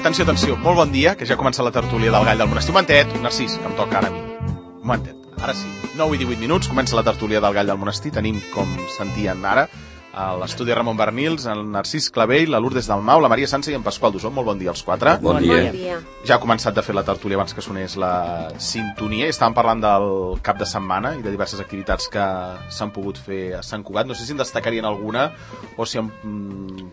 Atenció, atenció, molt bon dia, que ja ha començat la tertúlia del Gall del Monestir. Un momentet, Narcís, que em toca ara a mi. Un momentet, ara sí. 9 i 18 minuts, comença la tertúlia del Gall del Monestir. Tenim, com sentien ara, a l'estudi Ramon Bernils, el Narcís Clavell, la Lourdes Dalmau, la Maria Sansa i en Pasqual Dusó. Molt bon dia als quatre. Bon dia. Ja ha començat de fer la tertúlia abans que sonés la sintonia. Estàvem parlant del cap de setmana i de diverses activitats que s'han pogut fer a Sant Cugat. No sé si en destacarien alguna o si han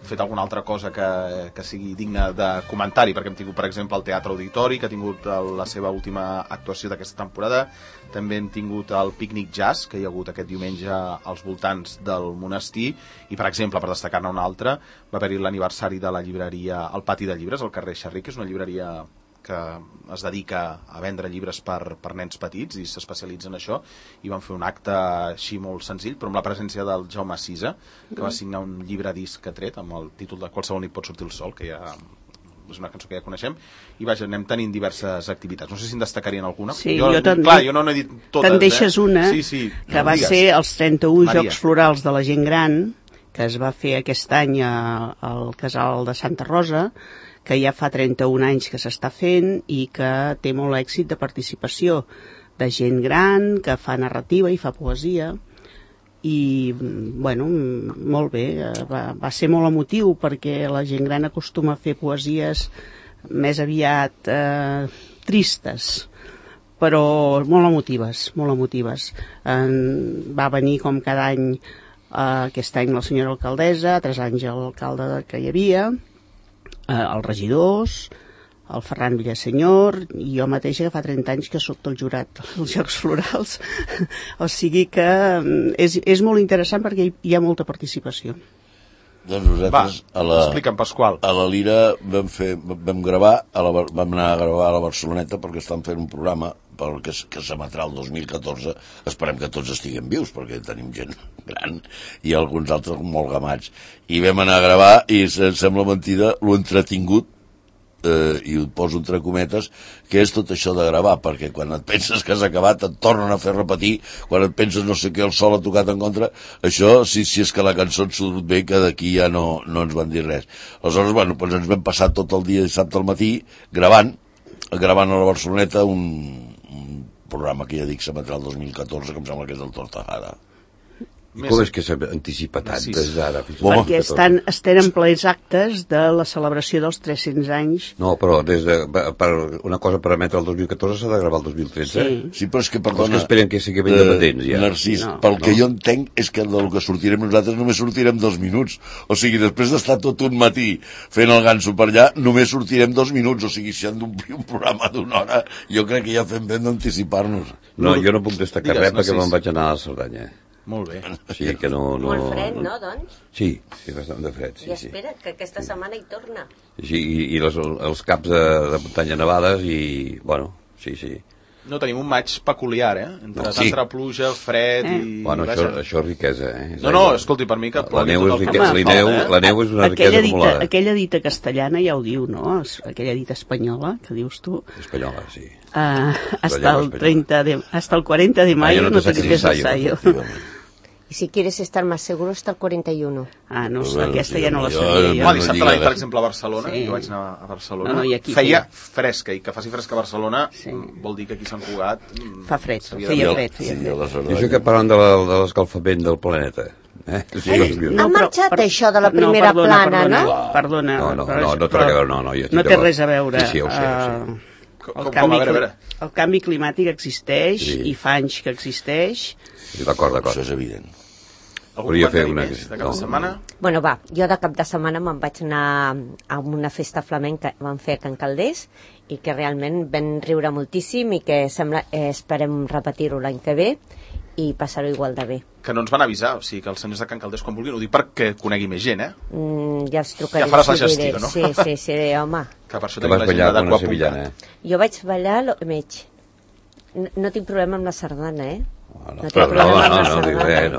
fet alguna altra cosa que sigui digna de comentari, perquè hem tingut, per exemple, el Teatre Auditori, que ha tingut la seva última actuació d'aquesta temporada. També hem tingut el Pícnic Jazz, que hi ha hagut aquest diumenge als voltants del monestir. I, per exemple, per destacar-ne una altra, va haver-hi l'aniversari de la llibreria El Pati de Llibres, al carrer Xerric, que és una llibreria que es dedica a vendre llibres per nens petits i s'especialitza en això, i van fer un acte així molt senzill, però amb la presència del Jaume Sisa, que va signar un llibre disc que ha tret amb el títol de Qualsevol nit pot sortir el sol, que ja és una cançó que ja coneixem, i vaja, anem tenint diverses activitats. No sé si en destacarien alguna. Sí, jo no he dit totes. Te'n deixes una, que va ser els 31 Jocs Florals de la Gent Gran, que es va fer aquest any al Casal de Santa Rosa, que ja fa 31 anys que s'està fent i que té molt èxit de participació de gent gran, que fa narrativa i fa poesia. I, bueno, molt bé, va ser molt emotiu perquè la gent gran acostuma a fer poesies més aviat tristes, però molt emotives, molt emotives. Va venir com cada any, aquest any la senyora alcaldessa, 3 anys l'alcalde que hi havia, els regidors, el Ferran Villasenyor, i jo mateixa que fa 30 anys que soc del jurat dels Jocs Florals. O sigui que és molt interessant perquè hi ha molta participació. Doncs nosaltres explica'm, Pasqual. A la Lira vam gravar, vam anar a gravar a la Barceloneta perquè estan fent un programa que s'emetrà el 2014. Esperem que tots estiguem vius perquè tenim gent gran i alguns altres molt gamats. I vam anar a gravar i sembla mentida lo entretingut, i ho poso entre cometes, que és tot això de gravar, perquè quan et penses que has acabat et tornen a fer repetir, quan et penses no sé què el sol ha tocat en contra, això si és que la cançó et surt bé, que d'aquí ja no ens van dir res. Aleshores, bueno, doncs ens vam passar tot el dia dissabte al matí gravant a la Barceloneta un programa que ja dic s'emetrà el 2014, que em sembla que és del Tortajada. I com és que s'anticipa tant des d'ara? Perquè estan en plens actes de la celebració dels 300 anys. No, però per una cosa per emetre el 2014 s'ha de gravar el 2013. Sí, però és que, perdona... Els que esperen que sigui ben dependents, ja. Narcís, pel que jo entenc és que del que sortirem nosaltres només sortirem 2 minuts. O sigui, després d'estar tot un matí fent el ganso per allà, només sortirem 2 minuts. O sigui, si han d'omplir un programa d'1 hora, jo crec que ja fem ben d'anticipar-nos. No, jo no puc destacar res perquè me'n vaig anar a la Cerdanya. Molt bé. Sí, que no... Molt fred, no, doncs? Sí, bastant de fred. I espera, que aquesta setmana hi torna. Sí, i els caps de muntanya nevades i, bueno, sí. No, tenim un maig peculiar, entre tanta pluja, fred i... Bueno, això és riquesa, No, escolti, per mi que plogui tot el que la neu és una riquesa acumulada. Aquella dita castellana ja ho diu, no? Aquella dita espanyola, que dius tu. Espanyola, sí. Hasta el 40 de mayo no te quites el sayo. Y si quieres estar más seguro, hasta el 41. No, aquesta ja no la sabia jo. Dissabte a la nit, per exemple, a Barcelona, jo vaig anar a Barcelona, feia fresca, i que faci fresca a Barcelona vol dir que aquí a Sant Cugat... Fa fred, feia fred. I això que parlant de l'escalfament del planeta... Ha marxat això de la primera plana, no? Perdona. No té res a veure, no té res a veure. Sí, ho sé. El canvi climàtic existeix i fa anys que existeix. D'acord. Això és evident. Volia fer una de cap de setmana? Bueno, jo de cap de setmana me'n vaig anar a una festa flamenca que van fer a Can Calders i que realment vam riure moltíssim i que esperem repetir-ho l'any que ve i passar-ho igual de bé. Que no ens van avisar, o sigui que els senyors de Can Calders quan vulguin, ho dic perquè conegui més gent, ja els trucaré. Ja faràs la gestió, no? Sí, home. Que per això tenim l'agenda d'Aquapunt. Jo vaig ballar l'Omeig. No tinc problema amb la sardana, No dic res,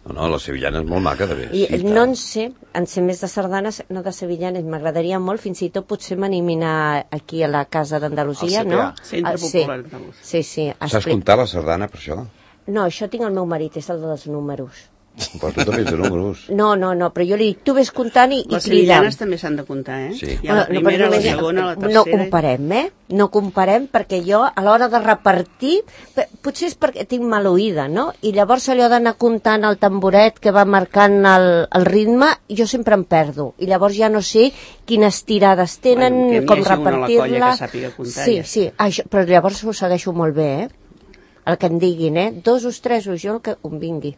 no, la sevillana és molt maca, de bé. I no en sé més de sardanes, no de sevillanes, m'agradaria molt, fins i tot potser m'animinar aquí a la Casa d'Andalusia, no? Centre Popular d'Andalusia. Sí. Saps comptar la sardana, per això? No, això tinc el meu marit, és el dels números. Però tu també ets de números. No, però jo li dic, tu ves comptant i les cridant. mitjanes també s'han de comptar, Sí. Hi ha la primera, la segona, la tercera... No comparem, No comparem, perquè jo, a l'hora de repartir, potser és perquè tinc mal oïda, no? I llavors allò d'anar comptant el tamboret que va marcant el ritme, jo sempre em perdo. I llavors ja no sé quines tirades tenen, com repartir-la... Sí, això, però llavors ho segueixo molt bé, El que em diguin, 2 o 3 o jo el que em vingui.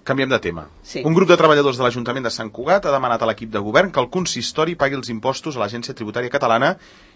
Canviem de tema. Sí. Un grup de treballadors de l'Ajuntament de Sant Cugat ha demanat a l'equip de govern que el consistori pagui els impostos a l'Agència Tributària Catalana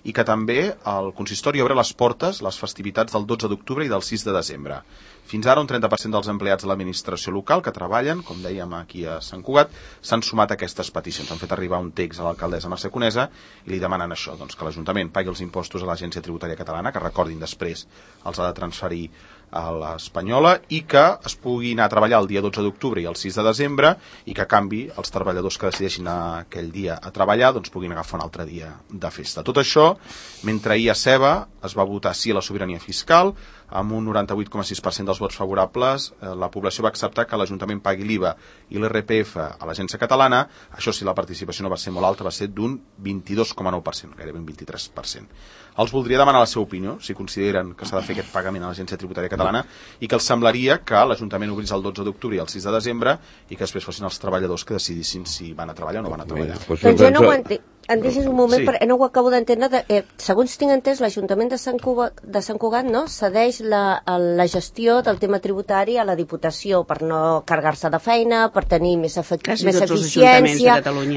i que també el consistori obre les portes les festivitats del 12 d'octubre i del 6 de desembre. Fins ara, un 30% dels empleats de l'administració local que treballen, com dèiem aquí a Sant Cugat, s'han sumat a aquestes peticions. Han fet arribar un text a l'alcaldessa Mercè Conesa i li demanen això, doncs, que l'Ajuntament pagui els impostos a l'Agència Tributària Catalana, que recordin després els ha de transferir a l'Espanyola, i que es pugui anar a treballar el dia 12 d'octubre i el 6 de desembre i que, a canvi, els treballadors que decideixin aquell dia a treballar doncs puguin agafar un altre dia de festa. Tot això, mentre ahir a Seva es va votar sí a la sobirania fiscal, amb un 98,6% dels vots favorables, la població va acceptar que l'Ajuntament pagui l'IVA i l'IRPF a l'Agència Catalana. Això sí, la participació no va ser molt alta, va ser d'un 22,9%, gairebé un 23%. Els voldria demanar la seva opinió, si consideren que s'ha de fer aquest pagament a l'Agència Tributària Catalana i que els semblaria que l'Ajuntament obrís el 12 d'octubre i el 6 de desembre i que després fossin els treballadors que decidissin si van a treballar o no van a treballar. Doncs jo no ho entenc. Em deixes un moment, perquè no ho acabo d'entendre. Segons tinc entès, l'Ajuntament de Sant Cugat no, cedeix la gestió del tema tributari a la Diputació per no carregar-se de feina, per tenir més eficiència,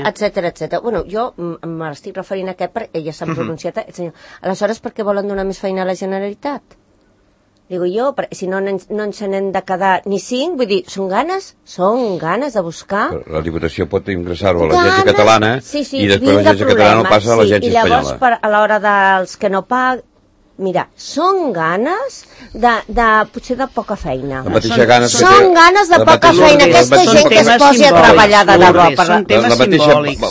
etc. Bueno, jo m'estic referint a aquest perquè ja s'han pronunciat. Aleshores, per què volen donar més feina a la Generalitat? Digo jo, si no ens n'hem de quedar ni 5, vull dir, són ganes de buscar. La Diputació pot ingressar-ho a l'Agència Catalana i després l'Agència Catalana no passa a l'Agència Espanyola. I llavors, a l'hora dels que no paguen, mira, són ganes potser de poca feina. Són ganes de poca feina. Aquesta gent que es posi a treballar de debò.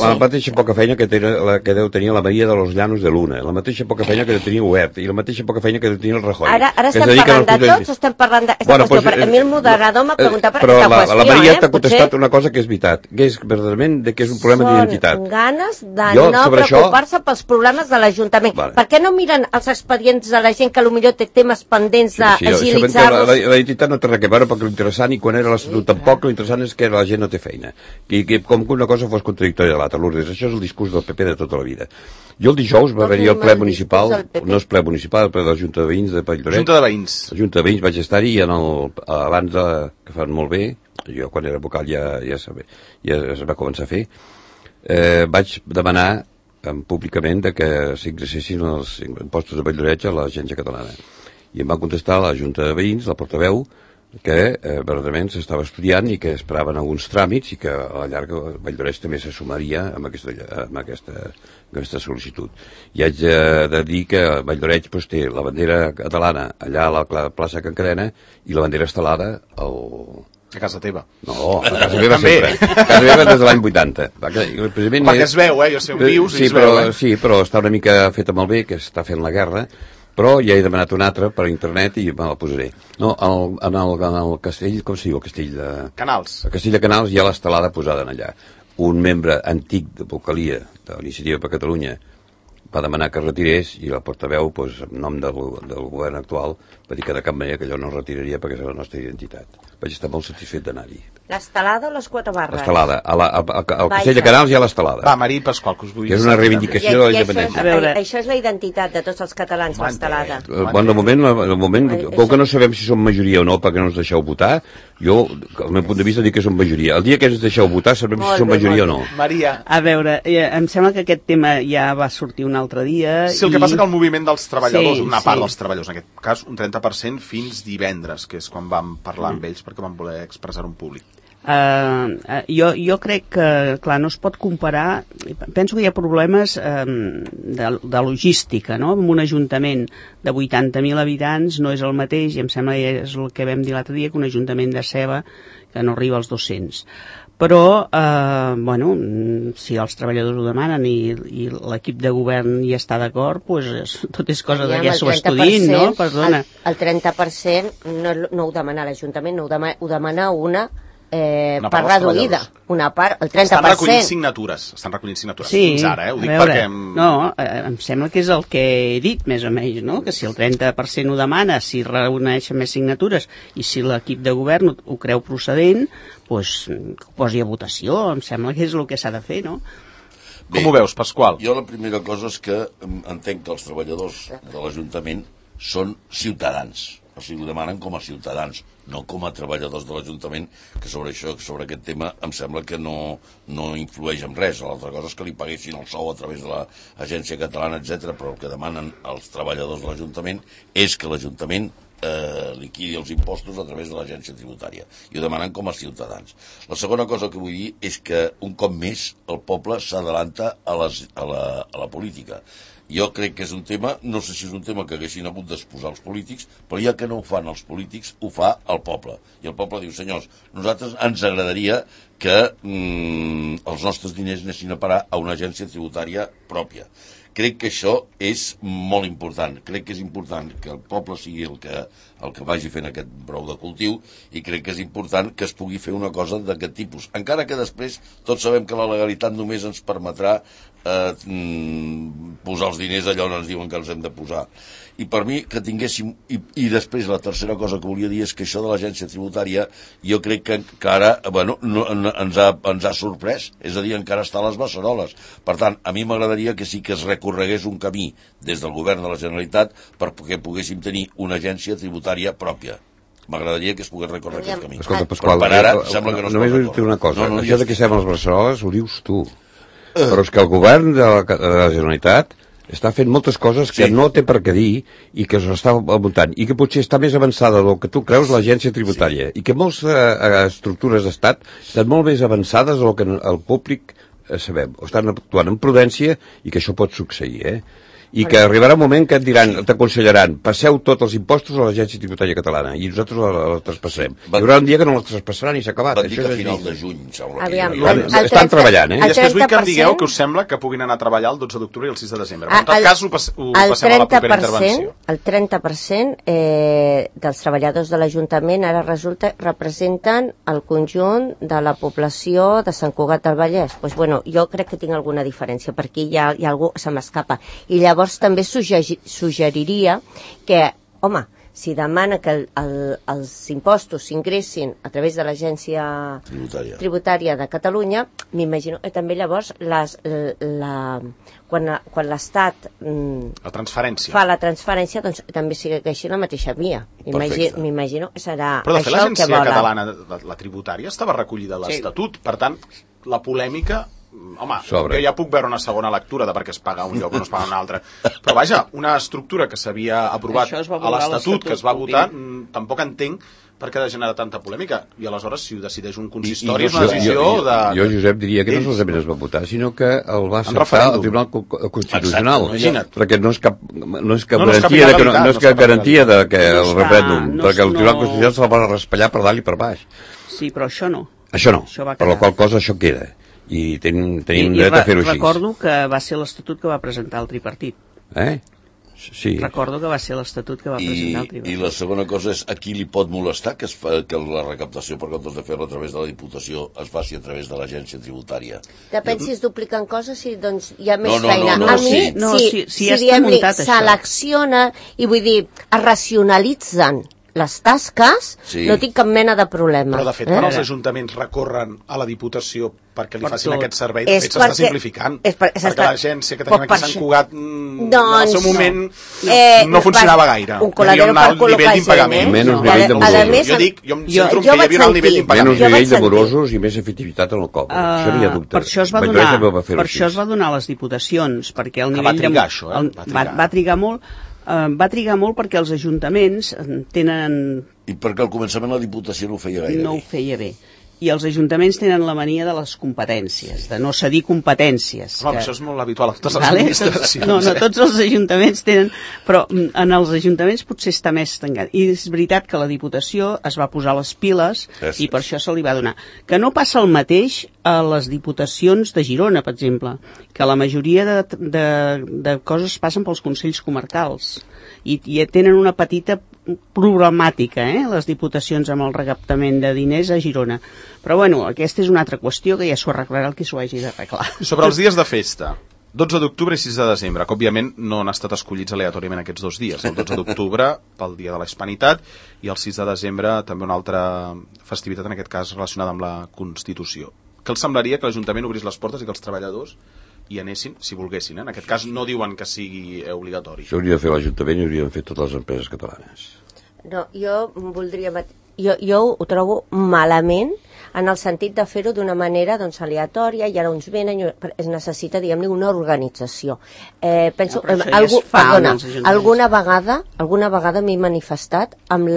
La mateixa poca feina que deu tenir la Maria de los Llanos de Luna, la mateixa poca feina que deu tenir Huert i la mateixa poca feina que deu tenir el Rajoy. Ara estem parlant de tots, estem parlant d'aquesta qüestió, perquè a mi el moderador m'ha preguntat per aquesta qüestió. Però la Maria t'ha contestat una cosa que és veritat, que és verdaderament que és un problema d'identitat. Són ganes de no preocupar-se pels problemes de l'Ajuntament. Per què no miren els expedients de la gent que potser té temes pendents d'agilitzar-los? La identitat no té res a veure, perquè l'interessant, i quan era l'Estatut tampoc, l'interessant és que la gent no té feina. I com que una cosa fos contradictòria de l'altra. Lourdes, això és el discurs del PP de tota la vida. Jo el dijous va haver-hi el ple municipal, no és ple municipal, el ple de la Junta de Veïns de Valldoreix. Junta de Veïns. La Junta de Veïns vaig estar-hi abans que fan molt bé, jo quan era vocal ja es va començar a fer, vaig demanar públicament que s'ingressessin els impostos de Valldoreix a l'Agència Catalana. I em va contestar la Junta de Veïns, la portaveu, que verdaderament s'estava estudiant i que esperaven alguns tràmits i que a la llarga Valldoreix també se sumaria amb aquesta sol·licitud. I haig de dir que Valldoreix té la bandera catalana allà a la plaça Can Cadena i la bandera estelada a casa teva. No, a casa meva sempre. A casa meva des de l'any 80. Perquè es veu, jo sé on vius i es veu. Sí, però està una mica feta malbé, que està fent la guerra, però ja he demanat una altra per internet i me la posaré. No, en el castell, com es diu el castell de... Canals. El castell de Canals hi ha l'estelada posada allà. Un membre antic de vocalia de l'Iniciativa per Catalunya va demanar que es retirés i la portaveu, en nom del govern actual, va dir que de cap manera que allò no es retiraria perquè és la nostra identitat. Vaig estar molt satisfet d'anar-hi. L'estelada o les 4 barres? L'estelada. Al Castell de Canals hi ha l'estelada. Va, Marí Pasqual, que us vull dir. Que és una reivindicació de la independència. Això és la identitat de tots els catalans, l'estelada. De moment, com que no sabem si som majoria o no, perquè no ens deixeu votar, jo, al meu punt de vista, dic que som majoria. El dia que ens deixeu votar sabrem si som majoria o no. Maria. A veure, em sembla que aquest tema ja va sortir un altre dia. Sí, el que passa que el moviment dels treballadors, una part dels treballadors, en aquest cas un 30% fins divendres, que és quan vam parlar amb ells perquè van voler expressar un públic. Jo crec que, clar, no es pot comparar, penso que hi ha problemes de logística, no? En un ajuntament de 80.000 habitants no és el mateix, i em sembla que és el que vam dir l'altre dia, que un ajuntament de Seva que no arriba als 200. però bueno, si els treballadors ho demanen i l'equip de govern hi està d'acord, doncs tot és cosa de que s'ho estudiïn, no? Perdona. El 30% no ho demana l'Ajuntament, ho demana una part reduïda, una part, el 30%. Estan recollint signatures sí, fins ara, ho dic veure, perquè... No, em sembla que és el que he dit, més o menys, no? Que si el 30% ho demana, si reuneixen més signatures i si l'equip de govern ho creu procedent, doncs que ho posi a votació, em sembla que és el que s'ha de fer, no? Bé, com ho veus, Pasqual? Jo la primera cosa és que entenc que els treballadors de l'Ajuntament són ciutadans, o sigui, ho demanen com a ciutadans, no com a treballadors de l'Ajuntament, que sobre aquest tema em sembla que no influeix en res. L'altra cosa és que li paguessin el sou a través de l'Agència Catalana, etc. Però el que demanen els treballadors de l'Ajuntament és que l'Ajuntament liquidi els impostos a través de l'agència tributària, i ho demanen com a ciutadans. La segona cosa que vull dir és que un cop més el poble s'adalanta a la política. Jo crec que és un tema, no sé si és un tema que haguessin hagut d'exposar els polítics, però ja que no ho fan els polítics, ho fa el poble. I el poble diu, senyors, nosaltres ens agradaria que els nostres diners anessin a parar a una agència tributària pròpia. Crec que això és molt important. Crec que és important que el poble sigui el que vagi fent aquest brou de cultiu, i crec que és important que es pugui fer una cosa d'aquest tipus. Encara que després tots sabem que la legalitat només ens permetrà posar els diners allà on ens diuen que els hem de posar. I per mi que tinguéssim... I després la tercera cosa que volia dir és que això de l'agència tributària jo crec que ara ens ha sorprès, és a dir, encara està a les beceroles. Per tant, a mi m'agradaria que sí que es recorregués un camí des del govern de la Generalitat perquè poguéssim tenir una agència tributària pròpia. M'agradaria que es pogués recórrer aquest camí. Escolta, Pasqual, per ara sembla que no es pot només dir una cosa. Això de que estem a les beceroles ho dius tu. Però és que el govern de la Generalitat està fent moltes coses que no té per què dir i que s'està muntant, i que potser està més avançada del que tu creus l'agència tributària, i que moltes estructures d'estat estan molt més avançades del que el públic sabem, o estan actuant amb prudència, i que això pot succeir, i que arribarà un moment que et diran, t'aconsellaran, passeu tots els impostos a l'Agència Tributària Catalana, i nosaltres la traspassarem. Hi haurà un dia que no la traspassaran i s'ha acabat. Van dir que a final de juny, sembla. Estan treballant, I després vull que em digueu que us sembla que puguin anar a treballar el 12 d'octubre i el 6 de desembre. En tot cas, ho passem a la propera intervenció. El 30% dels treballadors de l'Ajuntament ara resulta representen el conjunt de la població de Sant Cugat del Vallès. Doncs bueno, jo crec que tinc alguna diferència, perquè hi ha algú que se m'escapa. I llavors també suggeriria que, home, si demana que els impostos s'ingressin a través de l'Agència Tributària de Catalunya, m'imagino que també llavors quan l'Estat fa la transferència, doncs també segueixi la mateixa via. M'imagino que serà però de fet això el que volen. l'Agència Catalana, la tributària, estava recollida a l'Estatut, per tant, la polèmica... Home, jo ja puc veure una segona lectura de per què es paga un lloc o no es paga un altre, però vaja, una estructura que s'havia aprovat a l'Estatut, que es va votar, tampoc entenc per què ha de generar tanta polèmica, i aleshores si ho decideix un consistori és una decisió de... Jo, Josep, diria que no solament es va votar, sinó que el va acceptar el Tribunal Constitucional, perquè no és cap garantia de que el referèndum, perquè el Tribunal Constitucional se la va raspallar per dalt i per baix. Sí, però això no. Això no, per la qual cosa això queda. I tenim dret a fer-ho així. Recordo que va ser l'Estatut que va presentar el tripartit. Sí. Recordo que va ser l'Estatut que va presentar el tripartit. I la segona cosa és, a qui li pot molestar que la recaptació, per comptes de fer-la a través de la Diputació, es faci a través de l'Agència Tributària? Depèn si es dupliquen coses i doncs hi ha més feina. A mi, si selecciona, i vull dir, es racionalitzen les tasques, no tinc cap mena de problema. Però de fet, quan els ajuntaments recorren a la Diputació perquè li facin aquest servei, de fet s'està simplificant, perquè l'agència que tenim aquí a Sant Cugat en el seu moment no funcionava gaire, hi havia un alt nivell d'impagament. Menys nivell de morosos. Jo dic, jo em centro que hi havia un alt nivell d'impagament. Menys nivell de morosos i més efectivitat en el cop. Això no hi ha dubte. Per això es va donar a les diputacions, perquè el nivell... Va trigar això, va trigar molt. Va trigar molt perquè els ajuntaments tenen... I perquè al començament la Diputació no ho feia gaire bé. I els ajuntaments tenen la mania de les competències, de no cedir competències. Home, això és molt habitual a totes les administracions. No, tots els ajuntaments tenen, però en els ajuntaments potser està més tancat. I és veritat que la Diputació es va posar les piles i per això se li va donar. Que no passa el mateix a les diputacions de Girona, per exemple, que la majoria de coses passen pels consells comarcals i tenen una petita problemàtica, les diputacions amb el recaptament de diners a Girona. Però bueno, aquesta és una altra qüestió que ja s'ho arreglarà el que s'ho hagi d'arreglar. Sobre els dies de festa, 12 d'octubre i 6 de desembre, que òbviament no han estat escollits aleatòriament aquests 2 dies. El 12 d'octubre pel dia de la Hispanitat i el 6 de desembre també una altra festivitat, en aquest cas relacionada amb la Constitució. Què els semblaria que l'Ajuntament obrís les portes i que els treballadors hi anessin, si volguessin. En aquest cas no diuen que sigui obligatori. Això hauria de fer l'Ajuntament i hauria de fer totes les empreses catalanes. No, jo voldria... Jo ho trobo malament en el sentit de fer-ho d'una manera aleatòria, i ara uns venen, es necessita, diguem-ne, una organització. Penso, alguna vegada m'he manifestat amb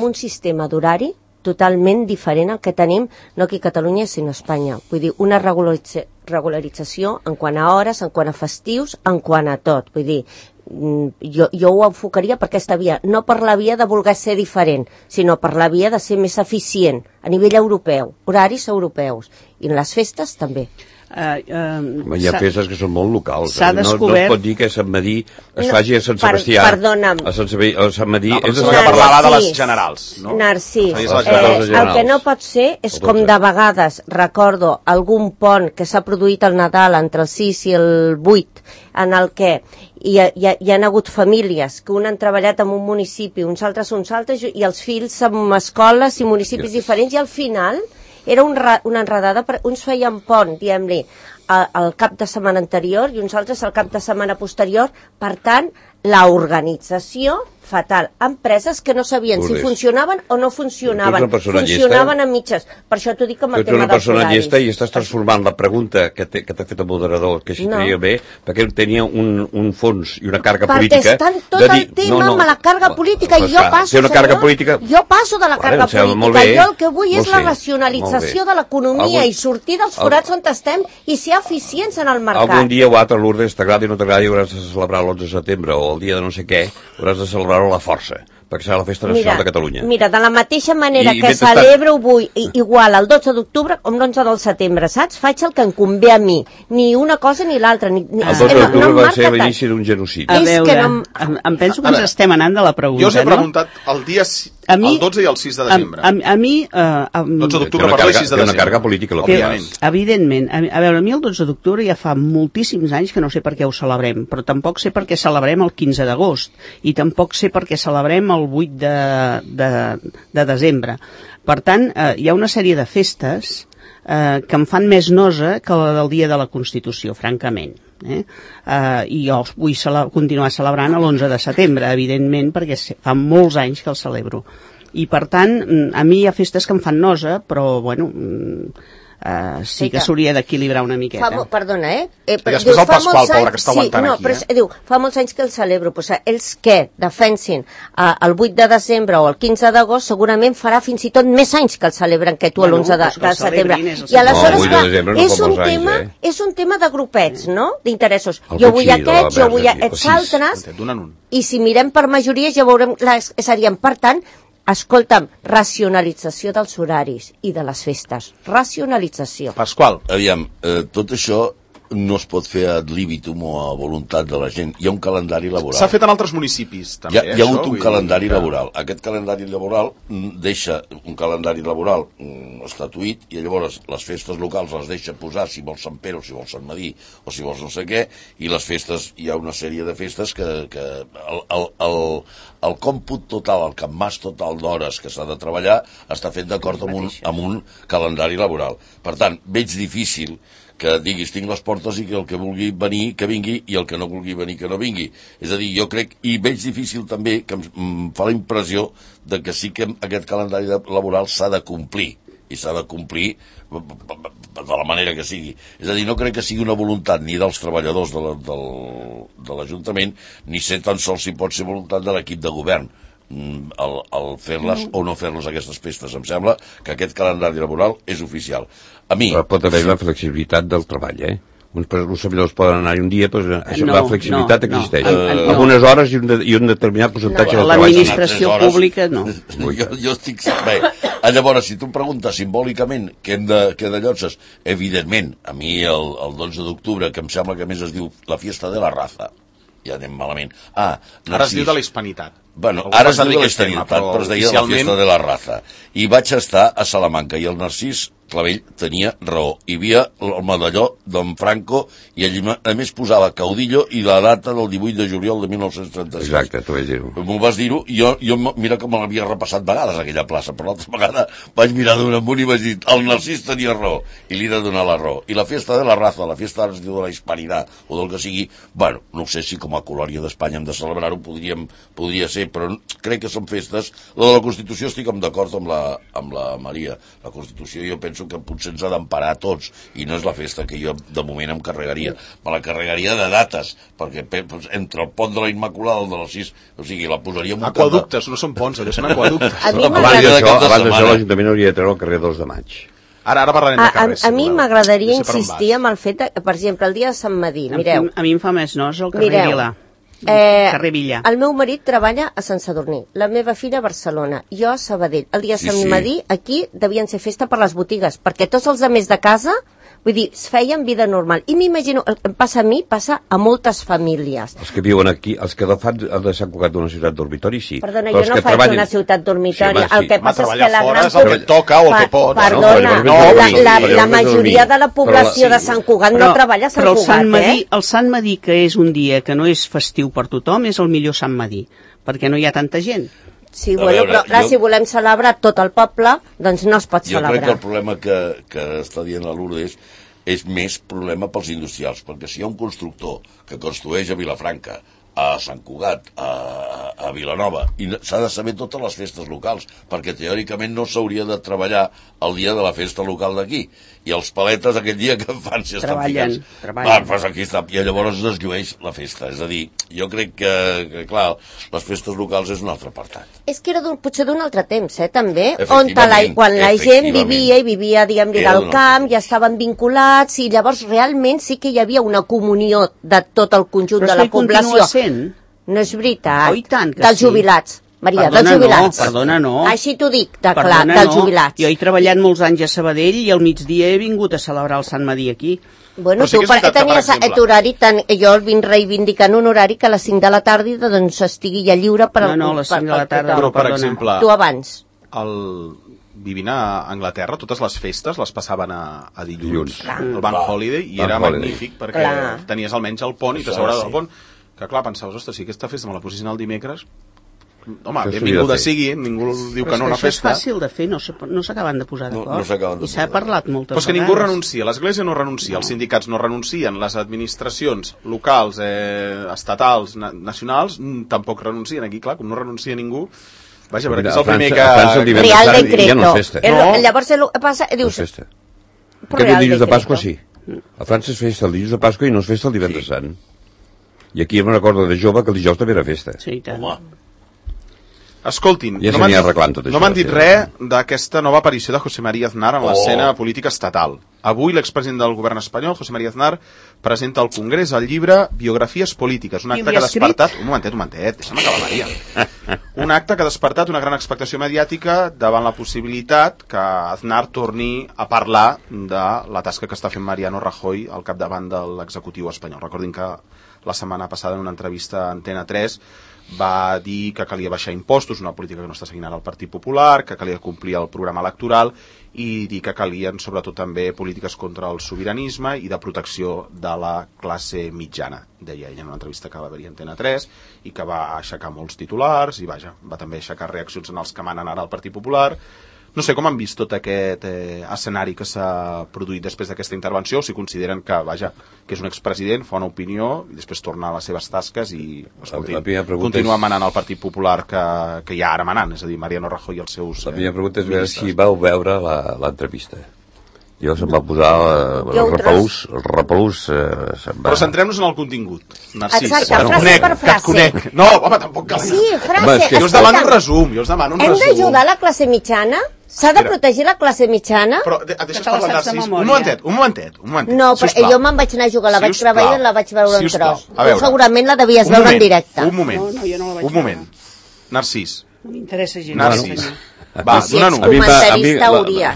un sistema d'horari totalment diferent al que tenim, no aquí a Catalunya, sinó a Espanya. Vull dir, una regularització en quant a hores, en quant a festius, en quant a tot. Vull dir, jo ho enfocaria per aquesta via, no per la via de voler ser diferent, sinó per la via de ser més eficient a nivell europeu, horaris europeus, i en les festes també. Hi ha festes que són molt locals. No es pot dir que Sant Madí es faci a Sant Sebastià. Perdona'm. A Sant Madí és que parlava de les generals, no? Narcís, el que no pot ser és com de vegades recordo algun pont que s'ha produït al Nadal entre el 6 i el 8, en el que hi ha hagut famílies que un han treballat en un municipi, uns altres, i els fills en escoles i municipis diferents, i al final era una enredada, uns feien pont, diguem-li, al cap de setmana anterior i uns altres al cap de setmana posterior. Per tant, l'organització fatal. Empreses que no sabien si funcionaven o no funcionaven. Funcionaven en mitges. Per això t'ho dic amb el tema dels horaris. Tu ets una persona llesta i estàs transformant la pregunta que t'ha fet el moderador, que si tenia bé, perquè tenia un fons i una càrrega política. Perquè estan tot el tema amb la càrrega política i jo passo, jo passo de la càrrega política. Jo el que vull és la racionalització de l'economia i sortir dels forats on estem i ser eficients en el mercat. Algun dia o altre, Lourdes, t'agradi o no t'agradi, hauràs de celebrar l'11 de setembre o el dia de no sé què, hauràs de celebrar la força, perquè serà la festa nacional de Catalunya. Mira, de la mateixa manera que celebro avui igual el 12 d'octubre com l'11 del setembre, saps? Faig el que em convé a mi, ni una cosa ni l'altra. El 12 d'octubre va ser l'inici d'un genocidi. A veure, em penso que ens estem anant de la pregunta, jo us he preguntat el dia... El 12 i el 6 de desembre. A mi... 12 d'octubre per 6 de desembre. Té una càrrega política, evidentment. A veure, a mi el 12 d'octubre ja fa moltíssims anys que no sé per què ho celebrem, però tampoc sé per què celebrem el 15 d'agost, i tampoc sé per què celebrem el 8 de desembre. Per tant, hi ha una sèrie de festes que em fan més nosa que la del dia de la Constitució, francament. I jo vull continuar celebrant l'11 de setembre, evidentment, perquè fa molts anys que el celebro. I per tant, a mi hi ha festes que em fan nosa, però bueno, sí que s'hauria d'equilibrar una miqueta. Perdona, però després el Pasqual, pobre, que està aguantant aquí. Però diu, fa molts anys que el celebro, però els que defensin el 8 de desembre o el 15 d'agost segurament farà fins i tot més anys que el celebren que tu l'11 de setembre. I aleshores és un tema de grupets, no?, d'interessos. Jo vull aquests, jo vull aquests altres, i si mirem per majories ja veurem que serien, per tant, escolta'm, racionalització dels horaris i de les festes. Racionalització. Pasqual. Aviam, tot això no es pot fer ad libitum o a voluntat de la gent. Hi ha un calendari laboral. S'ha fet en altres municipis, també. Hi ha hagut un calendari laboral. Aquest calendari laboral deixa un calendari laboral estatuït, i llavors les festes locals les deixa posar si vols Sant Pere o si vols Sant Madí o si vols no sé què, i les festes, hi ha una sèrie de festes que el còmput total, el campàs total d'hores que s'ha de treballar està fet d'acord amb un calendari laboral. Per tant, veig difícil que diguis tinc les portes i que el que vulgui venir que vingui i el que no vulgui venir que no vingui. És a dir, jo crec, i veig difícil també, que em fa la impressió de que sí que aquest calendari laboral s'ha de complir, i s'ha de complir de la manera que sigui. És a dir, no crec que sigui una voluntat ni dels treballadors de l'Ajuntament, ni sé tan sols si pot ser voluntat de l'equip de govern. el fer-les o no fer-les aquestes festes. Em sembla que aquest calendari laboral és oficial. A mi... Però pot haver la flexibilitat del treball, uns servidors poden anar un dia, però la flexibilitat existeix. Algunes hores i un determinat percentatge del treball. L'administració pública no. Jo estic... Bé, llavors, si tu em preguntes simbòlicament què de llotses, evidentment, a mi el 12 d'octubre, que em sembla que més es diu la fiesta de la raza, ja anem malament. Ara es diu de la hispanitat. Bueno, ara es diu de la hispanitat, però es deia la fiesta de la raza. I vaig estar a Salamanca, i el Narcís Clavell tenia raó. Hi havia el medalló d'en Franco i ell a més posava caudillo i la data del 18 de juliol de 1936. Exacte, t'ho vaig dir-ho. M'ho vas dir-ho, i jo mira que me l'havia repassat vegades aquella plaça, però l'altra vegada vaig mirar d'un amunt i vaig dir el Narcís tenia raó, i li he de donar la raó. I la fiesta de la raza, la fiesta es diu de la hispanitat, o del que sigui, bueno, no sé si com a colònia d'Espanya hem de celebrar-ho, podria ser, però crec que són festes. La de la Constitució estic d'acord amb la Maria. La Constitució jo penso que potser ens ha d'emparar a tots, i no és la festa que jo de moment em carregaria. Me la carregaria de dates, perquè entre el pont de la Immaculada i el de les 6, o sigui, la posaria en un aquaductes, no són ponts, allò són aquaductes. Abans d'això l'Ajuntament hauria de treure el carrer 2 de maig. Ara parlarem de carrers. A mi m'agradaria insistir amb el fet, per exemple, el dia de Sant Madí, mireu. A mi em fa més nosa el carrer Vila. Carrer Villa. El meu marit treballa a Sant Sadurní, la meva filla a Barcelona, jo a Sabadell. El dia de Sant Madí aquí devien ser festa per les botigues, perquè tots els altres de casa, vull dir, es feien vida normal. I m'imagino, el que em passa a mi, passa a moltes famílies. Els que viuen aquí, els que fan de Sant Cugat d'una ciutat dormitori, sí. Perdona, jo no faig una ciutat dormitori. El que passa és que la gran... el que toca o el que pot. Perdona, la majoria de la població de Sant Cugat no treballa a Sant Cugat, el Sant Madí, que és un dia que no és festiu per tothom, és el millor Sant Madí, perquè no hi ha tanta gent. Sí, bueno, però clar, si volem celebrar tot el poble, doncs no es pot celebrar. Jo crec que el problema que està dient la Lourdes és més problema pels industrials, perquè si hi ha un constructor que construeix a Vilafranca, a Sant Cugat, a Vilanova, i s'ha de saber totes les festes locals, perquè teòricament no s'hauria de treballar el dia de la festa local d'aquí, i els paletes aquell dia que fan si estan ficats. Pues aquí està, i llavors es llueix la festa. És a dir, jo crec que clar, les festes locals és un altre apartat. És que era potser d'un altre temps, també, on quan la gent vivia, diguem-ne, del camp, ja estaven vinculats, i llavors realment sí que hi havia una comunió de tot el conjunt de la població. No és veritat. Oh, tant, dels jubilats. Maria, dels jubilats. Perdona, no. Així t'ho dic, clar, dels jubilats. Jo he treballat molts anys a Sabadell i al migdia he vingut a celebrar el Sant Madí aquí. Bueno, tu tenies aquest horari, jo el vinc reivindicant un horari que a les 5 de la tarda doncs estigui ja lliure per... No, a les 5 de la tarda, però, per exemple... Tu abans. Vivint a Anglaterra, totes les festes les passaven a dilluns. El Bank Holiday, i era magnífic, perquè tenies almenys el pont i t'assegurar del pont. Que clar, pensaves, ostres, si aquesta festa me la posessin al dimecres, home, benvinguda sigui, ningú diu que no una festa. Però és fàcil de fer, no s'acaben de posar d'acord. I s'ha parlat moltes vegades. Però és que ningú renuncia, l'Església no renuncia, els sindicats no renuncien, les administracions locals, estatals, nacionals, tampoc renuncien. Aquí, clar, com no renuncia ningú, vaja, perquè és el primer que... Real decreto. Llavors el que passa, dius... Aquest dilluns de Pasqua sí. A França es festa el dilluns de Pasqua i no es festa el divendres sant. I aquí em recordo de jove que el dijous també era festa. Sí, tant. Escoltin, ja no m'han dit res d'aquesta nova aparició de José María Aznar en l'escena política estatal. Avui l'expresident del govern espanyol, José María Aznar, presenta al Congrés el llibre Biografies polítiques, un acte que ha despertat... Un momentet, deixa'm acabar, Maria. Un acte que ha despertat una gran expectació mediàtica davant la possibilitat que Aznar torni a parlar de la tasca que està fent Mariano Rajoy al capdavant de l'executiu espanyol. Recordin que la setmana passada en una entrevista a Antena 3 va dir que calia baixar impostos, una política que no està seguint ara el Partit Popular, que calia complir el programa electoral i dir que calien sobretot també polítiques contra el sobiranisme i de protecció de la classe mitjana, deia ell en una entrevista que va haver-hi a Antena 3 i que va aixecar molts titulars i vaja, va també aixecar reaccions en els que manen ara al Partit Popular. No sé com han vist tot aquest escenari que s'ha produït després d'aquesta intervenció, si consideren que, vaja, que és un expresident, fa una opinió i després torna a les seves tasques i, escolti, continua manant el Partit Popular que hi ha ara manant, és a dir, Mariano Rajoy i els seus... La primera pregunta és veure si vau veure l'entrevista. Jo se'm va posar els repelús... Però centrem-nos en el contingut, Narcís. Exacte, frase per frase. No, home, tampoc cal. Sí, frase. Jo us demano un resum, Hem d'ajudar la classe mitjana? S'ha de protegir la classe mitjana? Però deixa'ns parlar, Narcís. Un momentet. No, però jo me'n vaig anar a jugar, la vaig gravar i la vaig veure en tros. Tu segurament la devies veure en directe. Un moment. Narcís. No m'interessa gens. Narcís. Va, dona-n'ho.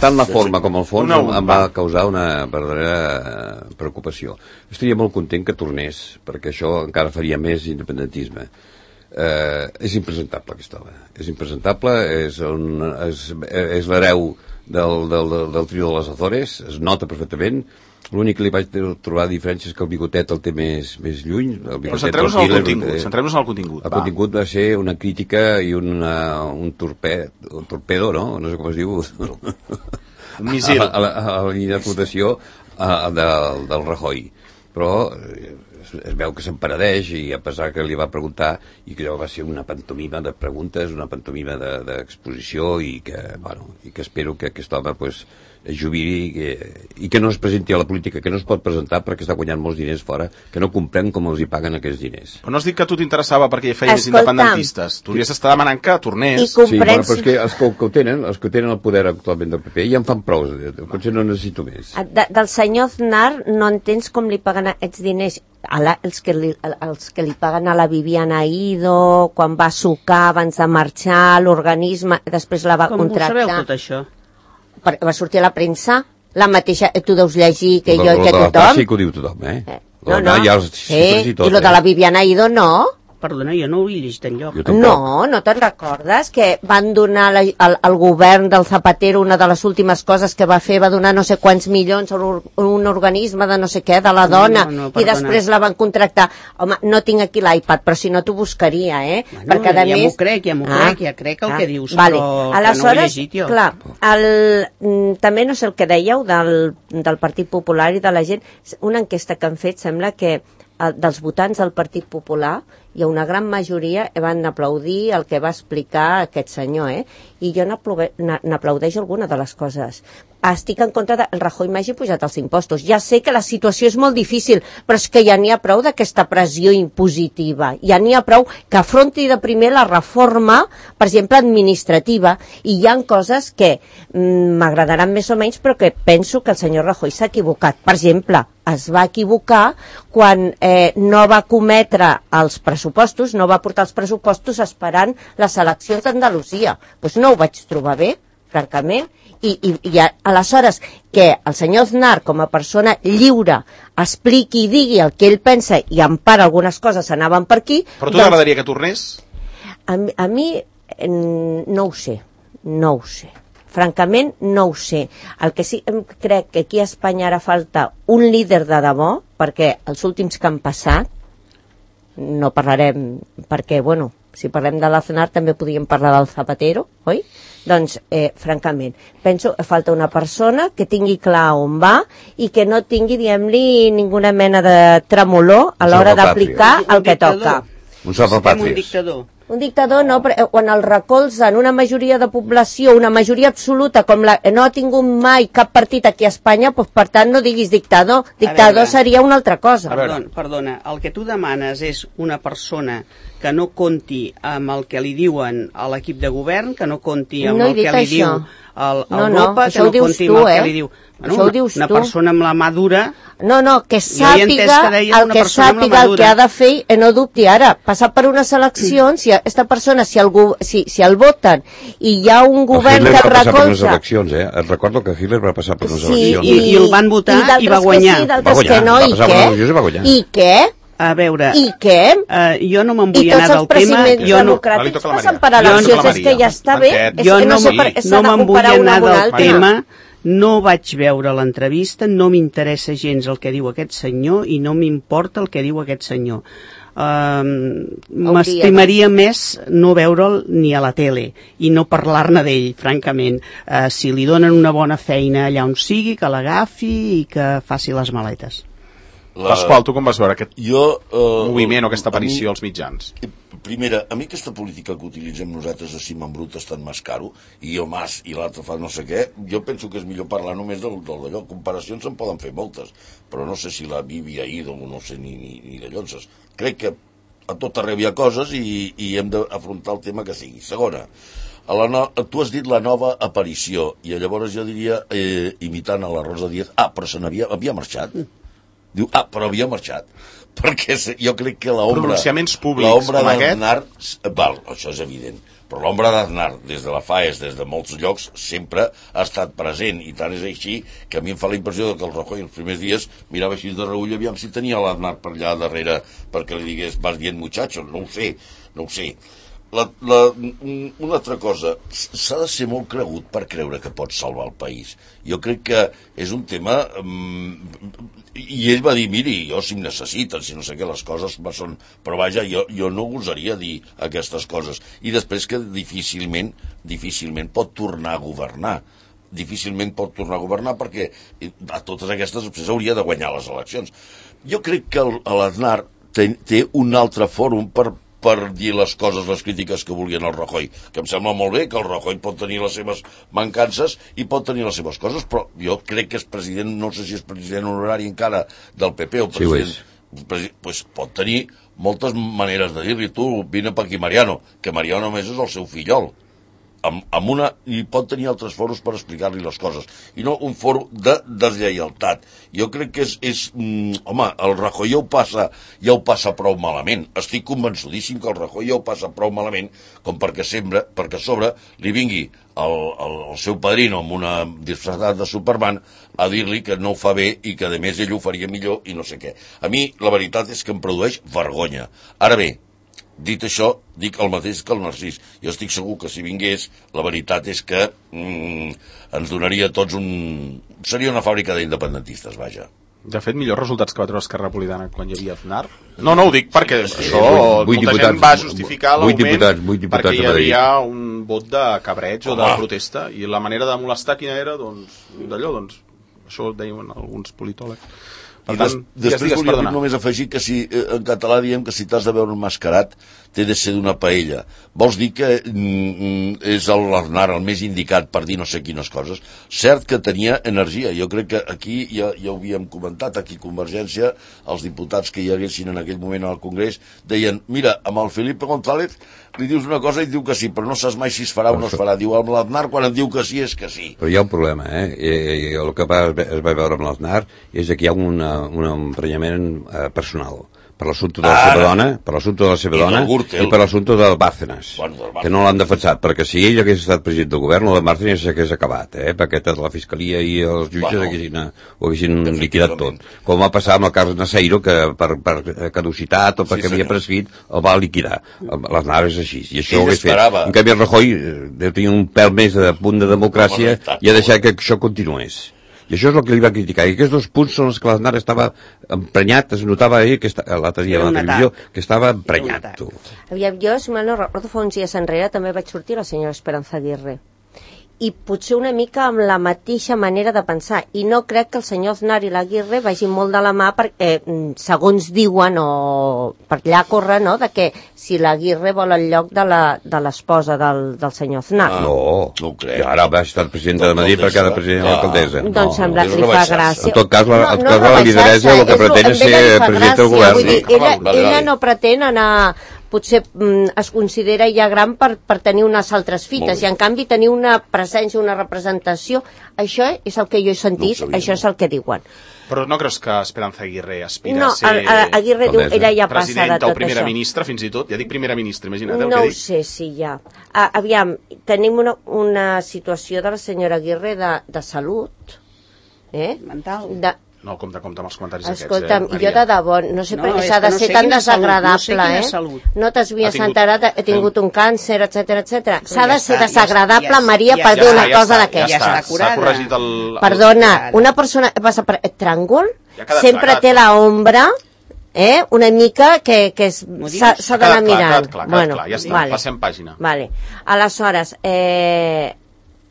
Tant la forma com el fons em va causar una verdadera preocupació. Estaria molt content que tornés, perquè això encara faria més independentisme. És impresentable aquest home. És impresentable, és l'hereu del trio de les Azores, es nota perfectament. L'únic que li vaig trobar diferència és que el bigotet el té més lluny. Però centrem-nos en el contingut. El contingut va ser una crítica i un torpedo, no? No sé com es diu. Un missil. A la línia de flotació del Rajoy. Però es veu que s'emperadeix i a pesar que li va preguntar i que allò va ser una pantomima de preguntes, una pantomima d'exposició i que espero que aquest home es jubili i que no es presenti a la política, que no es pot presentar perquè està guanyant molts diners fora, que no comprèn com els hi paguen aquests diners. Però no has dit que a tu t'interessava perquè hi feia més independentistes. Tu hauries d'estar demanant que tornés. Sí, però és que els que ho tenen el poder actualment del PP, ja en fan prou, potser no necessito més. Del senyor Aznar no entens com li paguen aquests diners els que li paguen a la Viviana Ido quan va sucar abans de marxar l'organisme, després la va contractar. Com ho sabeu tot això? Va sortir a la premsa, la mateixa, tu deus llegir que jo i que tothom. Sí que ho diu tothom, I lo de la Viviana Ido no. Perdona, jo no ho he llegit enlloc. No te'n recordes que van donar al govern del Zapatero una de les últimes coses que va fer, va donar no sé quants milions a un organisme de no sé què, de la dona, i després la van contractar. Home, no tinc aquí l'iPad, però si no t'ho buscaria, Bueno, perquè a més... Ja m'ho crec el que dius, però que no ho he llegit jo. Clar, també no sé el que dèieu del Partit Popular i de la gent, una enquesta que han fet sembla que dels votants del Partit Popular hi ha una gran majoria que van aplaudir el que va explicar aquest senyor, i jo n'aplaudeixo alguna de les coses. Estic en contra del Rajoy m'hagi pujat els impostos. Ja sé que la situació és molt difícil, però és que ja n'hi ha prou d'aquesta pressió impositiva. Ja n'hi ha prou que afronti de primer la reforma, per exemple, administrativa, i hi ha coses que m'agradaran més o menys, però que penso que el senyor Rajoy s'ha equivocat. Per exemple, es va equivocar quan no va cometre els pressupostos, no va portar els pressupostos esperant les eleccions d'Andalusia. Doncs no ho vaig trobar bé, francament, i aleshores que el senyor Aznar, com a persona lliure, expliqui i digui el que ell pensa i en part algunes coses anaven per aquí... Però tu t'agradaria que tornés? A mi no ho sé. Francament, no ho sé. El que sí crec que aquí a Espanya ara falta un líder de debò, perquè els últims que han passat, no parlarem, perquè, bueno, si parlem de l'Aznar també podríem parlar del Zapatero, oi? Doncs, francament, penso que falta una persona que tingui clar on va i que no tingui, diguem-li, ninguna mena de tremolor a l'hora d'aplicar el que toca. Un salvapàtries. Un dictador. Un dictador no, però quan el recolzen una majoria de població, una majoria absoluta, com no ha tingut mai cap partit aquí a Espanya, doncs per tant no diguis dictador. Dictador seria una altra cosa. Perdona, el que tu demanes és una persona que no compti amb el que li diuen a l'equip de govern, que no compti amb el que li diu Europa, que no compti amb el que li diu... Una persona amb la mà dura... No, que sàpiga el que ha de fer i no dubti ara. Passar per unes eleccions, si aquesta persona, si el voten i hi ha un govern que recolza... Et recordo que Hitler va passar per unes eleccions. I el van votar i va guanyar. D'altres que no, i què? A veure... I què? Jo no me'n vull anar del tema... I tots els presidents democràtics passen per eleccions, és que ja està bé. Jo no me'n vull anar del tema... No vaig veure l'entrevista, no m'interessa gens el que diu aquest senyor i no m'importa el que diu aquest senyor. M'estimaria més no veure'l ni a la tele i no parlar-ne d'ell, francament. Si li donen una bona feina allà on sigui, que l'agafi i que faci les maletes. Pasqual, tu com vas veure aquest moviment o aquesta aparició als mitjans? primera, a mi aquesta política que utilitzem nosaltres de cim en brut és tan més caro, i jo mas i l'altre fa no sé què, jo penso que és millor parlar només d'allò. Comparacions en poden fer moltes, però no sé si la Bibi ha ido, no sé ni d'allò. Crec que a tot arreu hi ha coses i hem d'afrontar el tema que sigui. Segona, tu has dit la nova aparició, i llavors jo diria, imitant a la Rosa Díaz, però havia marxat. Diu, però havia marxat. Perquè jo crec que l'ombra... Pronunciaments públics com aquest... Val, això és evident. Però l'ombra d'Aznar, des de la FAES, des de molts llocs, sempre ha estat present. I tant és així que a mi em fa la impressió que el Rajoy els primers dies mirava així de reull, aviam si tenia l'Aznar per allà darrere perquè li digués, vas dient muchacho, no ho sé. Una altra cosa, s'ha de ser molt cregut per creure que pots salvar el país. Jo crec que és un tema... I ell va dir, miri, jo si em necessiten, si no sé què, les coses són... Però vaja, jo no gosaria dir aquestes coses. I després que difícilment pot tornar a governar. Difícilment pot tornar a governar perquè a totes aquestes després hauria de guanyar les eleccions. Jo crec que l'Aznar té un altre fòrum per dir les coses, les crítiques que volien al Rajoy, que em sembla molt bé que el Rajoy pot tenir les seves mancances i pot tenir les seves coses, però jo crec que és president, no sé si és president honorari encara del PP o president, pues pot tenir moltes maneres de dir-li, tu vine per aquí Mariano, que Mariano només és el seu fillol, i pot tenir altres foros per explicar-li les coses, i no un foro de deslleialtat. Jo crec que home, el Rajoy ja ho passa prou malament. Estic convençudíssim que el Rajoy ja ho passa prou malament com perquè a sobre li vingui el seu padrino amb una disfressada de Superman a dir-li que no ho fa bé i que a més ell ho faria millor i no sé què. A mi la veritat és que em produeix vergonya. Ara bé, dit això, dic el mateix que el Narcís. Jo estic segur que si vingués, la veritat és que ens donaria a tots seria una fàbrica d'independentistes, vaja. De fet, millors resultats que va treure Esquerra Republicana quan hi havia Aznar. No ho dic perquè això molta gent va justificar l'augment perquè hi havia un vot de cabreig o de protesta, i la manera de molestar quina era, això ho deien alguns politòlegs. Per tant, després volia només afegir que si en català diem que si t'has de veure enmascarat té de ser d'una paella. Vols dir que és l'Aznar el més indicat per dir no sé quines coses? Cert que tenia energia. Jo crec que aquí ja ho havíem comentat, aquí Convergència, els diputats que hi haguessin en aquell moment al Congrés deien, mira, amb el Felipe González li dius una cosa i diu que sí, però no saps mai si es farà o no es farà. Diu, amb l'Aznar quan em diu que sí és que sí. Però hi ha un problema, el que es va veure amb l'Aznar és que hi ha un emprenyament personal per l'assumpte de la seva dona, i per l'assumpte del Bárcenas, que no l'han defensat, perquè si ell hagués estat president del govern, el de Bárcenas s'hagués acabat, perquè la fiscalia i els jutges ho haguessin liquidat tot. Com va passar amb el cas Naseiro, que per caducitat o perquè havia prescrit, el va liquidar. L'Aznar és així, i això ho hagués fet. En canvi, el Rajoy deu tenir un pèl més de punt de democràcia i ha deixat que això continués. I això és el que li va criticar. I aquests dos punts són els que l'Aznar estava emprenyat, es notava l'altre dia a la televisió, que estava emprenyat. Jo, si mal no recordo, fa uns dies enrere també vaig sortir la senyora Esperanza Aguirre. I potser una mica amb la mateixa manera de pensar. I no crec que el senyor Aznar i l'Aguirre vagin molt de la mà perquè, segons diuen, o per allà corre, no?, de que si l'Aguirre vol el lloc de l'esposa del senyor Aznar. No ho crec. Ara va estar presidenta de Madrid perquè era president de l'alcaldessa. Doncs sembla que li fa gràcia. En tot cas, la lideresa el que pretén és ser presidenta del govern. Vull dir, ella no pretén anar... potser es considera ja gran per tenir unes altres fites, i en canvi tenir una presència, una representació, això és el que jo he sentit, això és el que diuen. Però no creus que Esperanza Aguirre aspira a ser Aguirre diu, ella ja passa de tot això. Presidenta o primera ministra, fins i tot? Ja dic primera ministra, imagina't el que dic. No ho sé, sí, ja. Aviam, tenim una situació de la senyora Aguirre de salut, mental. No, compte amb els comentaris aquests. Escolta'm, jo de debò, no sé per què s'ha de ser tan desagradable, No t'has vist enterat, he tingut un càncer, etcètera. S'ha de ser desagradable, Maria, per dir una cosa d'aquesta. S'ha corregit el... Perdona, una persona passa per tràngol, sempre té l'ombra, una mica que s'ha d'anar mirant. Clar, ja està, passem pàgina. Aleshores,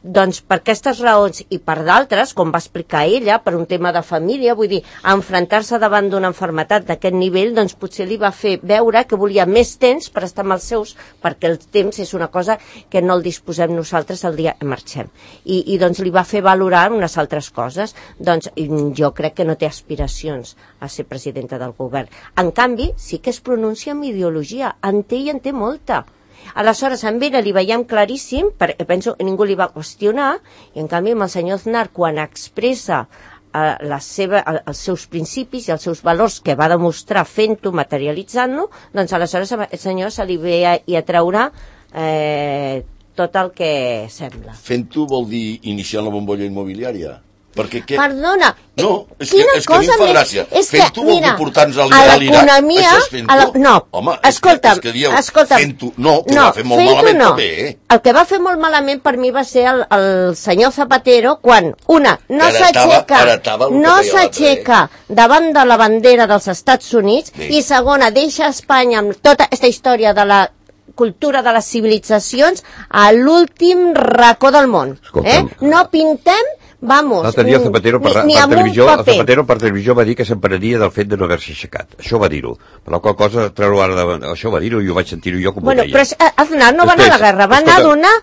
doncs per aquestes raons i per d'altres, com va explicar ella, per un tema de família, vull dir, enfrontar-se davant d'una malaltia d'aquest nivell, doncs potser li va fer veure que volia més temps per estar amb els seus, perquè el temps és una cosa que no el disposem nosaltres el dia que marxem. I doncs li va fer valorar unes altres coses. Doncs jo crec que no té aspiracions a ser presidenta del govern. En canvi, sí que es pronuncia amb ideologia, en té i en té molta. Aleshores, amb ella li veiem claríssim, perquè penso que ningú li va qüestionar, i en canvi amb el senyor Aznar, quan expressa els seus principis i els seus valors que va demostrar fent-ho, materialitzant-lo, doncs aleshores el senyor se li ve a treure tot el que sembla. Fent-ho vol dir iniciar la bombolla immobiliària? Perquè què? Perdona, no, és que a mi em fa gràcia. Fent-ho vol dir portar-nos al l'Iraq. Això és fent-ho? No, home, escolta'm, és que dieu fent-ho. No, que va fer molt malament també. El que va fer molt malament per mi va ser el senyor Zapatero quan, no s'aixeca davant de la bandera dels Estats Units i segona, deixa Espanya amb tota aquesta història de la cultura de les civilitzacions a l'últim racó del món. No pintem, vamos, l'altre dia Zapatero per televisió va dir que s'empararia del fet de no haver-se aixecat. Això va dir-ho. Per la qual cosa, treure-ho ara això va dir-ho i ho vaig sentir-ho jo com ho deia. Però Aznar no va anar a la guerra, va anar a donar...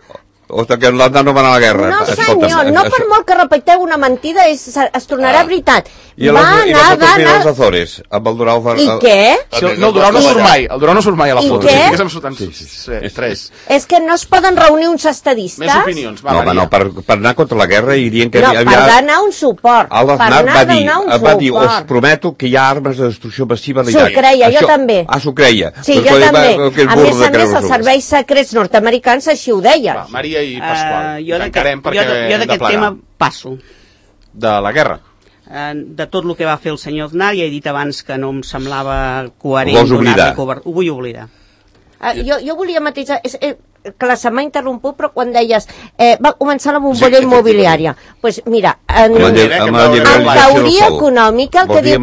que l'Aznar no va anar a la guerra. No, senyor, no per molt que repeteu una mentida es tornarà veritat. I les fotos dels Azores, amb el Durão... I què? No, el Durão no surt mai. El Durão no surt mai a la foto. I què? Tres. És que no es poden reunir uns estadistes? Més opinions, va, Maria. No, per anar contra la guerra i dient que... No, per donar un suport. L'Aznar va dir, us prometo que hi ha armes de destrucció massiva a l'Iraq. S'ho creia, jo també. S'ho creia. Sí, jo també. A més a més, els serveis secrets nord-americans així ho deien. Maria i Pasqual. Jo d'aquest tema passo. De la guerra? De tot el que va fer el senyor Aznar, ja he dit abans que no em semblava coherent. Ho vull oblidar. Jo volia matisar, clar, se m'ha interromput, però quan deies va començar la bombolla immobiliària, doncs mira, en teoria econòmica el que diu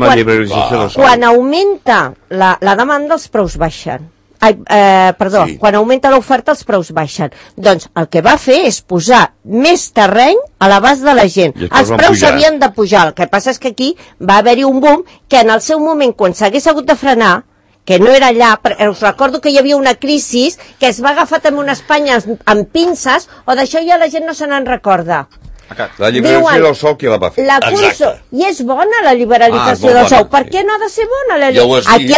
quan augmenta la demanda els preus baixen. Quan augmenta l'oferta els preus baixen. Doncs el que va fer és posar més terreny a l'abast de la gent. Els preus s'havien de pujar. El que passa és que aquí va haver-hi un boom que en el seu moment, quan s'hagués hagut de frenar, que no era allà, us recordo que hi havia una crisi que es va agafar també una Espanya amb pinces, o d'això ja la gent no se n'en recorda. La liberalització del sòl, qui la va fer? I és bona la liberalització del sòl. Per què no ha de ser bona la liberalització? Aquí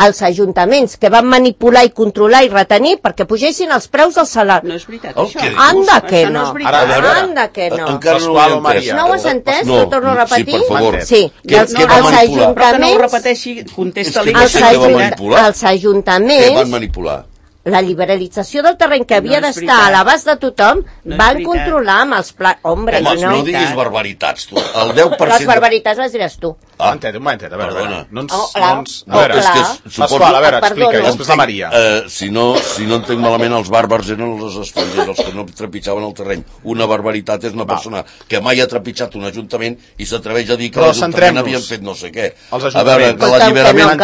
els ajuntaments que van manipular i controlar i retenir perquè pugessin els preus del salari. No és veritat, això. Anda que no. Anda que no. Encara no ho he entès. No ho has entès? Ho torno a repetir? Sí, per favor. Sí. Els ajuntaments... Però que no ho repeteixi, contesta-li. Els ajuntaments... Què van manipular? La liberalització del terreny que havia d'estar a l'abast de tothom van controlar amb els plans... Home, no diguis barbaritats, tu. El 10%... Les barbaritats les diràs tu. Un momentet, a veure. Pasqual, a veure, explica, i després la Maria. Si no entenc malament, els bàrbars eren els estrangers, els que no trepitjaven el terreny. Una barbaritat és una persona que mai ha trepitjat un ajuntament i s'atreveix a dir que l'Ajuntament havien fet no sé què. A veure, que l'alliberament...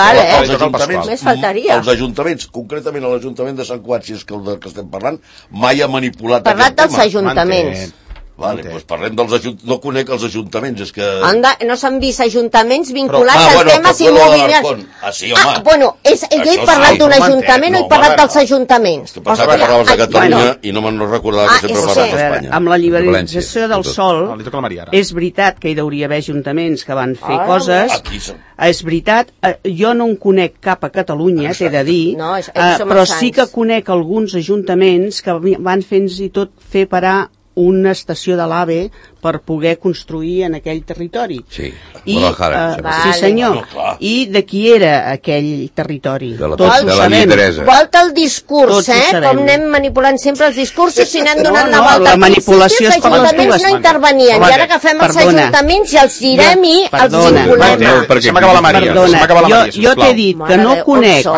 Els ajuntaments, concretament l'Ajuntament de Sant Cugat, si és que el que estem parlant, mai ha manipulat aquest tema. Parlat dels ajuntaments. Vale, doncs parlem dels ajuntaments. No conec els ajuntaments, és que... Anda, no s'han vist ajuntaments vinculats als temes immobiliaris. Sí, home. Bueno, jo he parlat d'un ajuntament, no he parlat dels ajuntaments. Que pensava que parlaves de Catalunya i no me'n recordava que sempre parles d'Espanya. Amb la liberalització del sòl, és veritat que hi hauria d'haver ajuntaments que van fer coses. És veritat, jo no en conec cap a Catalunya, t'he de dir, però sí que conec alguns ajuntaments que van fins i tot fer parar una estació de l'AVE per poder construir en aquell territori. Sí, sí senyor. I de qui era aquell territori? De la lideresa. Volta el discurs, com anem manipulant sempre els discursos i anem donant la volta. La manipulació és com les dues. No intervenien, i ara agafem els ajuntaments i els girem i els vinculem. Perdona, jo t'he dit que no conec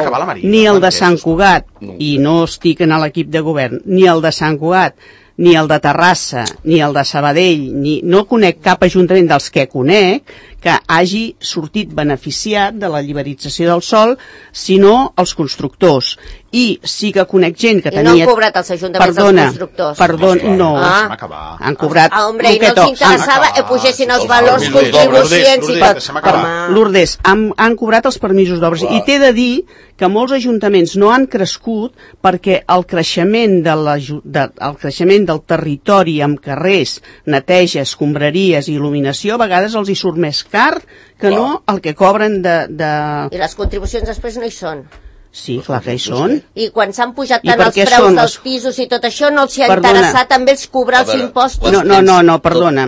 ni el de Sant Cugat, i no estic en l'equip de govern, ni el de Sant Cugat, ni el de Terrassa, ni el de Sabadell, no conec cap ajuntament dels que conec que hagi sortit beneficiat de la liberalització del sòl, sinó els constructors. i sí que conec gent que tenia... I no han cobrat els ajuntaments dels constructors? Perdona, no. Han cobrat... Hombre, i no els interessava que pugessin els valors contribucions i tot. Lourdes, han cobrat els permisos d'obres. I t'he de dir que molts ajuntaments no han crescut perquè el creixement del territori amb carrers, neteja, escombraries i il·luminació a vegades els hi surt més car que no el que cobren de... I les contribucions després no hi són. Sí, clar que hi són. I quan s'han pujat tant els preus dels pisos i tot això, no els hi ha interessat també els cobrar els impostos? No, perdona,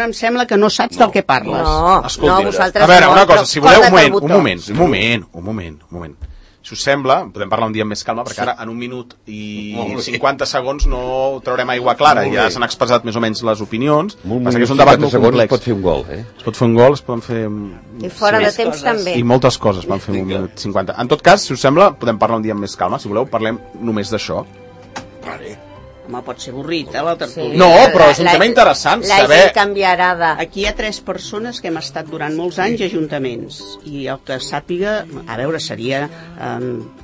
em sembla que no saps del que parles. No, vosaltres no. A veure, una cosa, si voleu, un moment. Si us sembla, podem parlar un dia amb més calma, perquè ara en 1 minut i 50 segons no traurem aigua clara, ja s'han expressat més o menys les opinions, passa que és un debat molt complex. Es pot fer un gol, Es pot fer un gol, es poden fer... I fora de temps també. I moltes coses van fer 1 minut 50. En tot cas, si us sembla, podem parlar un dia amb més calma, si voleu, parlem només d'això. Vale. Home, pot ser avorrit, la tertúlia. No, però és un tema interessant saber... La gent canviarà de... Aquí hi ha 3 persones que hem estat durant molts anys a ajuntaments, i el que sàpiga, a veure, seria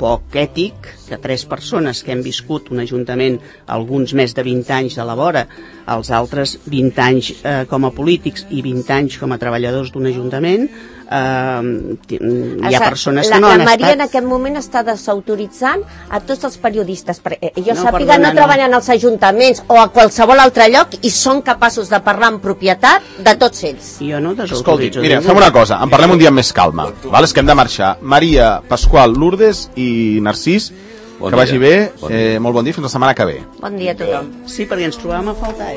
poc ètic que 3 persones que hem viscut un ajuntament alguns més de 20 anys de la vora, els altres 20 anys com a polítics i 20 anys com a treballadors d'un ajuntament, hi ha persones que no han estat... La Maria en aquest moment està desautoritzant a tots els periodistes, perquè jo sàpiga no treballen als ajuntaments o a qualsevol altre lloc i són capaços de parlar amb propietat de tots ells. Jo no desautoritzo. Escolti, mira, fem una cosa, en parlem un dia amb més calma, val? És que hem de marxar. Maria, Pasqual, Lourdes i Narcís, que vagi bé, molt bon dia, fins la setmana que ve. Bon dia a tothom. Sí, perquè ens trobàvem a faltar,